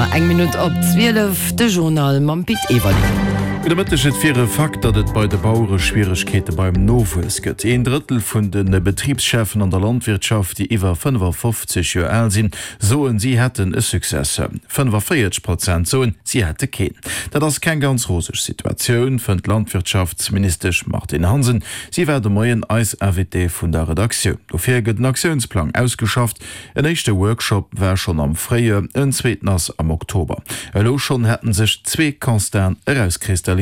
Auer, eng Minutt op 12, de Journal mam Pit Everling. Gudde Mëtteg, Et wier e Fakt, datt et bei de Bauere Schwieregkeete beim Nowuess gëtt. Een Drëttel vun de Betribscheffen an der Landwirtschaft, déi iwwer 55 Joer al sinn, soen, si hätten e Successeur. 45 Prozent soen, si hätte keen. Dat ass keng ganz roseg Situatioun, fënnt d'Landwirtschaftsministesch Martine Hansen. Si war de Moien eis Invitée vun der Redaktioun. Dofir gëtt en Aktiounsplang ausgeschafft. En éischte Workshop war schonn am Fréijoer, en zweeten ass am Oktober. Elo schonn hätten sech zwee Constaten erauskristalliséiert,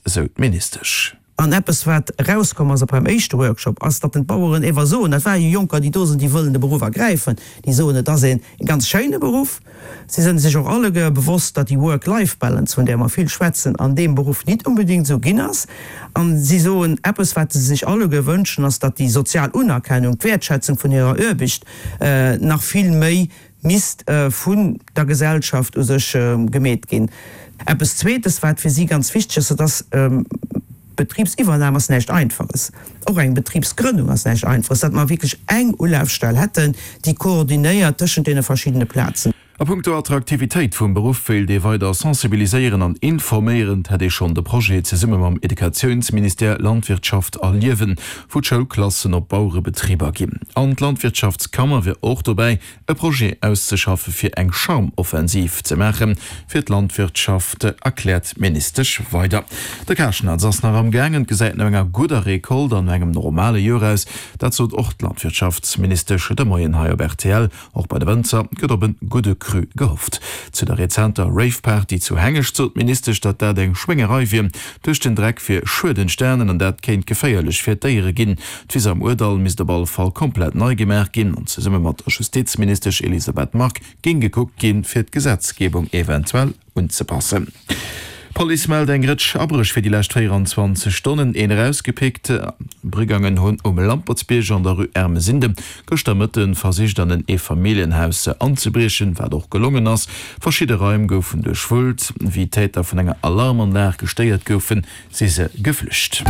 sou d'Ministesch. An eppes wat erauskomm ass och beim éischte Workshop, ass, datt den d'Baueren ewer soen, dat war jo Jonker déi do sinn, déi wëllen de Beruff ergräifen, déi soen, et ass een ganz schéine Beruff. Si sënn sech och alleguer bewosst, datt déi Work-Life-Balance, vun där mer vill schwätzen, an deem Beruff nit unbedéngt esou ginn ass. An si soen, eppes wat se sech alleguer wënschen, ass, datt déi sozial Unerkennung, d'Wäertschätzung vun hirer Aarbecht nach vill méi misst vun der Gesellschaft u sech gemeet ginn. Eppes Zweetes, wat fir si ganz wichteg ass, dat ass, Betribsiwwernam ass näischt Einfaches, och eng Betribsgrënnung ass näischt Einfaches, datt mer wierklech eng Ulafstell hätten, déi koordinéiert tëschent deene verschiddene Plazen. A punkto Attraktivitéit vum Beruff wéilt ee weider sensibiliséieren an informéieren. Et hätt ee schonn de Projet zesumme mam Educatiounsministère Landwirtschaft erliewen, wou d'Schoulklassen op Bauerebetriber ginn. An d'Landwirtschaftskammer wier och dobäi, e Projet auszeschaffe fir eng Charme-Offensiv ze maache fir d'Landwirtschaft, erkläert d'Ministesch weider. De Karschnatz ass nach am gaangen, et gesäit no enger gudder Recolte an no engem normale Joer aus. Dat sot och d'Landwirtschaftsministesch de Moien hei op rtl. Och bei de Wënzer gëtt op en gudde Cru gehofft. Zu der rezenter Rave-Party zu Hengescht sot d'Ministesch, datt dat eng Schwéngerei wier. Duerch den Dreck wier Schued entstanen an dat kéint geféierlech fir d'Déiere ginn. D'Wiss am Ourdall misst op alle Fall komplett nei gemaach ginn an zesumme mat der Justizministesch Elisabeth Margue géing gekuckt ginn, fir d'Gesetzgebung eventuell unzepassen. D'Police mellt eng Rëtsch Abréch fir déi lescht 24 Stonnen. Een erausgepickt. Brigangen hunn um Lampertsbierg an der Rue Ermesinde gëschter Mëtte versicht an en Eefamilljenhaus anzebriechen, wat och gelongen ass. Verschidde Raim goufen duerchwullt. Wéi d'Täter vun enger Alarmanlag gestéiert goufen, si se geflücht.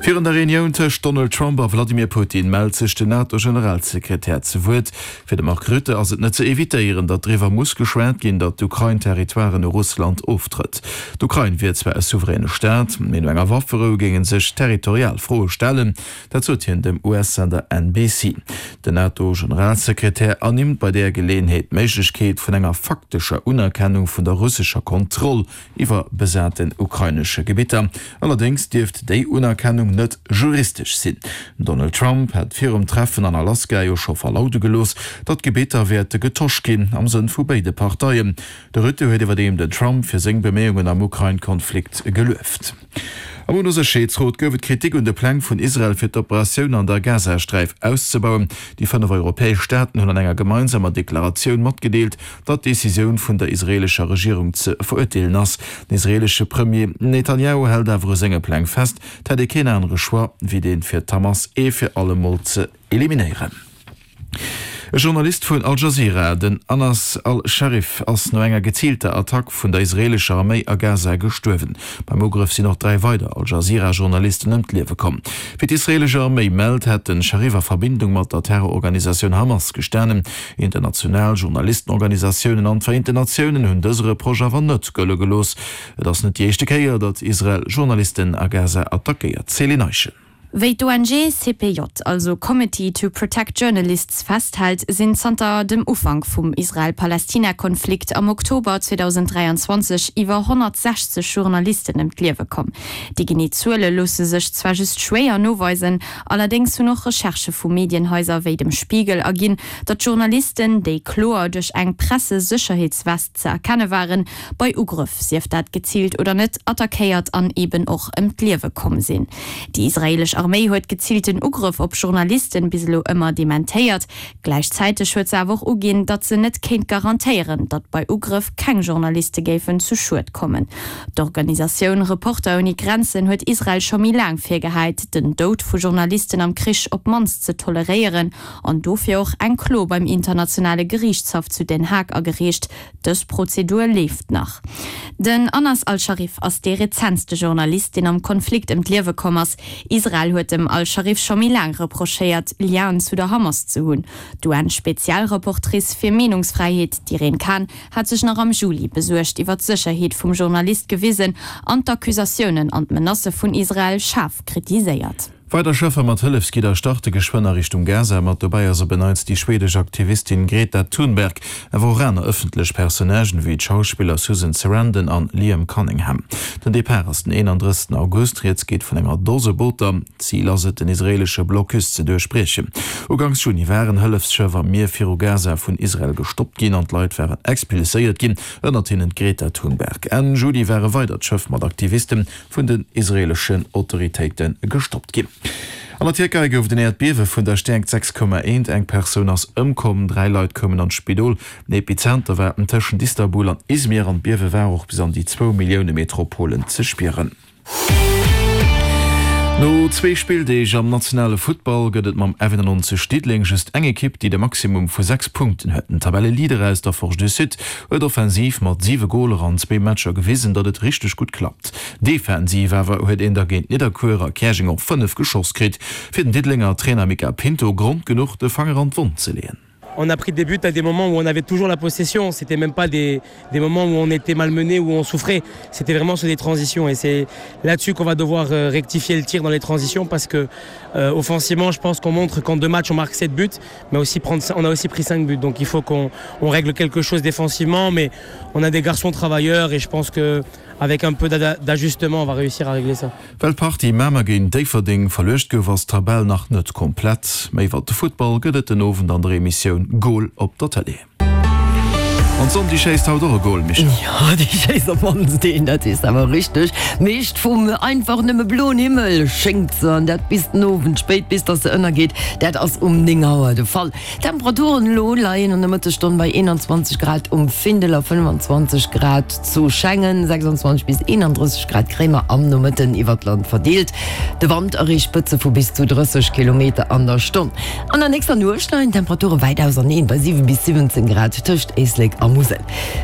Virun der Reunioun tëscht Donald Trump a Vladimir Putin mellt sech den NATO-Generalsekretär zu Wuert. Fir de Mark Rutte ass et net ze evitéieren, datt driwwer muss geschwat ginn, datt d'Ukrain Territoiren u Russland oftrëtt. D'Ukrain wier zwar e souveräne Staat, mee no enger Wafferou géinge sech territorial Froe stellen. Dat sot hien dem US-Sender NBC. Den NATO-Generalsekretär ernimmt bei där Geleeënheet d'Méiglechkeet vun enger faktescher Unerkennung vun der russescher Kontroll iwwer besaten ukrainesche Gebitter. Allerdéngs dierft déi Unerkennung net juristesch sinn. Den Donald Trump hat virum Treffen an Alaska jo scho verlaude gelooss, datt d'Gebitter wäerte getosch ginn, am Sënn vu béide Parteien. De Rutte huet iwwerdeem den Trump fir seng Beméiungen am Ukrain-Konflikt gelueft. Am UNO-Sécherheetsrot gouf et Kritik un de Pläng vun Israel fir d'Operatioun an der Gazasträif auszebauen. Déi 5 europäesch Staaten hunn an enger gemeinsamer Deklaratioun matgedeelt, datt d'Decisioun vun der israeelescher Regierung ze verurteelen ass. Den israeelesche Premier Netanjahu hält awer u senge Pläng fest. Et hätt ee keen anere Choix, wéi deen, fir d'Hamas ee fir allemol ze eliminéieren. E Journalist vun Al Jazeera, den Anas al-Sharif, ass no enger geziilter Attack vun der israeelescher Arméi a Gaza gestuerwen. Beim Ugrëff sinn och 3 weider Al Jazeera-Journalisten ëm d'Liewe komm. Wéi d'israeelesch Arméi mellt, hätt de Sharif a Verbindung mat der Terrororganisatioun Hamas gestanen. International Journalistenorganisatiounen an d'Vereenten Natiounen hunn dëse Reproche awer net gëlle gelooss. Et ass net déi éischte Kéier, datt Israel Journalisten a Gaza attackéiert. Céline Eischen. Wéi d'ONG CPJ, also Committee to Protect Journalists, festhält, sinn zanter dem Ufank vum Israel-Palästina-Konflikt am Oktober 2023 iwwer 160 Journalisten ëm d'Liewe komm. Déi genee Zuele loosse sech zwar just schwéier noweisen, allerdéngs hunn och Recherchë vu Medienhaiser wéi dem Spiegel erginn, datt Journalisten, déi kloer duerch eng Pressesécherheetswest ze erkenne waren, bei Ugrëff, sief dat geziilt oder net, attackéiert an eben och ëm d'Liewe komm sinn. Déi israeelesch Arméi huet geziilten Ugrëff op Journalisten bis elo ëmmer dementéiert. Gläichzäiteg huet se awer och uginn, datt se net kéint garantéieren, datt bei Ugrëff keng Journaliste géifen zu Schued kommen. D'Organisatioun Reporter ouni Grenzen huet Israel scho méi laang virgehäit, den Doud vu Journalisten am Krich op d'mannst ze toleréieren an dofir och eng Klo beim internationale Geriichtshaff zu Den Haag agereecht, Dës Prozedur leeft nach. Den Anas al-Sharif ass dee rezentste Journalist, deen am Konflikt ëm d'Liewe komm ass. Israel. Israel huet dem al-Scharif scho méi laang reprochéiert, Lienen zu der Hamas ze hunn. D'UN-Spezialrapportrice fir Meenungsfräiheet, d'Irene Khan, hat sech nach am Juli besuergt iwwer d'Sécherheet vum Journalist gewisen an d'Accusatiounen an d'Menacë vun Israel schaarf kritiséiert. Weider Schëffer mat Hëllefsgidder starte geschwënn a Richtung Gaza. Mat dobäi ass op en Neits déi schwedesch Aktivistin Greta Thunberg, awer och aner ëffentlech Personnagen ewéi d'Schauspiller Susan Sarandon an Liam Cunningham. Den Depart ass den 31 August, rieds geet vun enger Dose Booter. Zil ass et, den israeelesche Blocus ze duerchbriechen. Uganks Juni waren Hëllefsschëff am Mier viru Gaza vun Israel gestoppt ginn an d'Leit waren expulséiert ginn, ënnert hinnen d'Greta Thunberg. Enn Juli war e weidert Schëff mat Aktiviste vun den israeeleschen Autoritéite gestoppt ginn. An der Tierkei gouf et en Äerdbiewe vun der Stäerkt 6,1. Eng Persoun ass ëmkomm, 3 Leit koumen an d'Spidol. Den Epizenter war tëschent Istanbul an Izmir an d'Biewe war och bis an déi zwou Milliounemetropolen ze spieren. No zwee Spilldeeg am nationale Futtball gëtt et mam F91 Diddeleng just eng Ekipp, déi de Maximum vu 6 Punkten huet. Den Tabelleleader aus der Forge du Sud huet offensiv mat 7 Goler an zwee Matcher gewisen, datt et richteg gutt klappt. Defensiv awer huet een da géint Nidderkuer a Käerjeng och 5 geschoss kritt. Fir den Diddelenger Trainer Mica Pinto Grond genuch, de Fanger an d'Wonn ze leeën. On a pris des buts à des moments où on avait toujours la possession, c'était même pas des, des moments où on était malmené où on souffrait. C'était vraiment sur des transitions et c'est là-dessus qu'on va devoir euh, rectifier le tir dans les transitions parce que euh, offensivement je pense qu'on montre qu'en deux matchs on marque 7 buts mais aussi prendre, on a aussi pris 5 buts donc il faut qu'on on règle quelque chose défensivement mais on a des garçons travailleurs et je pense que avec un peu d'ajustement on va réussir à régler ça. Well d'Partie Mamer géint Déifferdeng verluecht gouf, ass d'Tabell nach net komplett. Méi iwwer de Futtball gëtt et den Owend an der Emissioun Goal op der Tëlee. An d'Sonn déi schéisst haut och e Goal, Michèle. Jo, déi schéisst op mannst een, dat weess de awer richteg. Meescht vum einfach nëmme bloen Himmel schéngt se, an dat bis den Owend spéit, bis dass se ënnergeet. Dat ass um 9 Auer de Fall. D'Temperaturen elo leien an der Mëttesstonn bei 21 Grad um Findel a 25 Grad zu Schengen, 26 bis 31 Grad kréie mer am Nomëtten iwwert d'Land verdeelt. De Wand erreecht Spëtze vu bis zu 30 Kilometer an der Stonn. An der nächster Nuecht leien d'Temperature wäit auserneen bei 7 bis 17 Grad tëscht Éislek a Musel.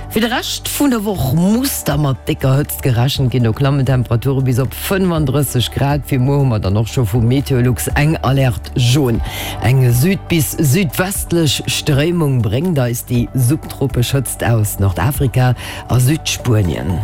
Fir de Rescht vun der Woch muss da mat décker Hëtzt gerechent ginn, do klammen d'Temperature bis op 35 Grad. Fir muer hu mer dann och scho vu Meteolux eng Alerte jaune. Eng süd bis südwestlech Stréimung bréngt eis déi subtropesch Hëtzt aus Nordafrika a Südspuenien.